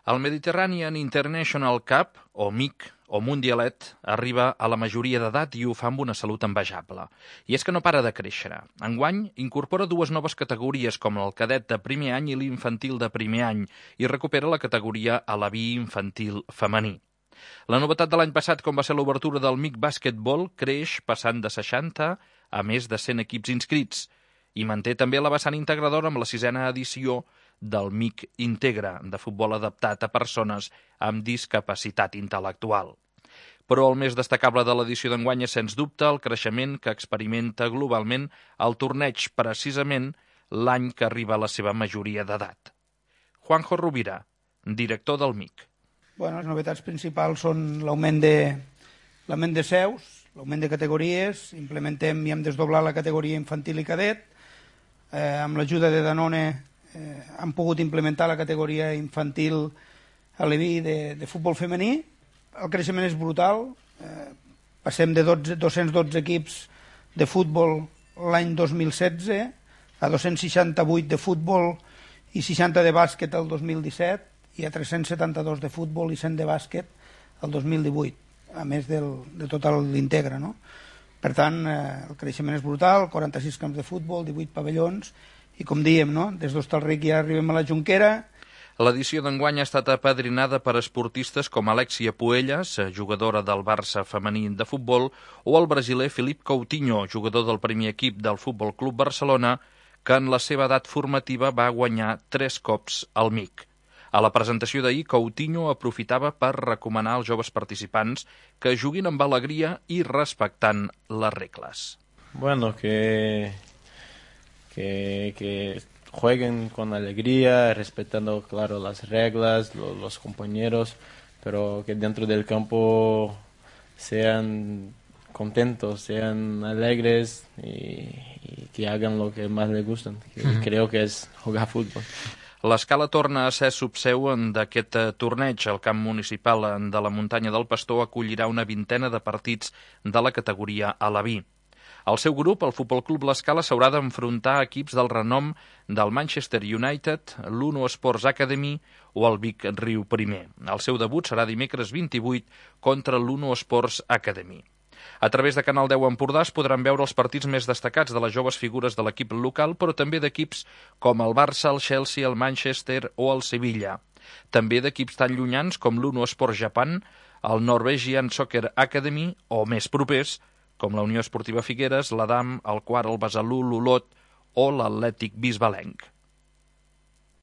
El Mediterranean International Cup, o MIC, o Mundialet, arriba a la majoria d'edat i ho fa amb una salut envejable. I és que no para de créixer. Enguany incorpora dues noves categories com el cadet de primer any i l'infantil de primer any i recupera la categoria alaví infantil femení. La novetat de l'any passat, com va ser l'obertura del MIC Basketball, creix passant de 60 a més de 100 equips inscrits i manté també la vessant integradora amb la 6a edició del MIC Integra, de futbol adaptat a persones amb discapacitat intel·lectual. Però el més destacable de l'edició d'enguany és, sens dubte, el creixement que experimenta globalment el torneig, precisament l'any que arriba a la seva majoria d'edat. Juanjo Rovira, director del MIC. Les novetats principals són l'augment de seus, l'augment de categories, implementem i hem desdoblat la categoria infantil i cadet, amb l'ajuda de Danone han pogut implementar la categoria infantil aleví de futbol femení. El creixement és brutal, passem de 212 equips de futbol l'any 2016 a 268 de futbol i 60 de bàsquet el 2017 i a 372 de futbol i 100 de bàsquet el 2018, a més de tot l'Integra, no? Per tant, el creixement és brutal, 46 camps de futbol, 18 pavellons, i com dèiem, no? Des d'Hostalric ja arribem a la Jonquera. L'edició d'enguany ha estat apadrinada per esportistes com Alexia Puellas, jugadora del Barça femení de futbol, o el brasiler Philippe Coutinho, jugador del primer equip del Futbol Club Barcelona, que en la seva edat formativa va guanyar 3 cops el MIC. A la presentació d'ahir, Coutinho aprofitava per recomanar als joves participants que juguin amb alegria i respectant les regles. Bueno, que jueguen con alegría, respetando, claro, las reglas, los compañeros, pero que dentro del campo sean contentos, sean alegres y que hagan lo que más les gustan, que creo que es jugar fútbol. L'Escala torna a ser subseu d'aquest torneig. El camp municipal de la Muntanya del Pastor acollirà una vintena de partits de la categoria alaví. El seu grup, el Futbol Club l'Escala, s'haurà d'enfrontar a equips del renom del Manchester United, l'Uno Sports Academy o el Vic Riu Primer. El seu debut serà dimecres 28 contra l'Uno Sports Academy. A través de Canal 10 Empordà es podran veure els partits més destacats de les joves figures de l'equip local, però també d'equips com el Barça, el Chelsea, el Manchester o el Sevilla. També d'equips tan llunyans com l'Uno Sports Japan, el Norwegian Soccer Academy o més propers, com la Unió Esportiva Figueres, l'Adam, el Quart, el Besalú, l'Olot o l'Atlètic Bisbalenc.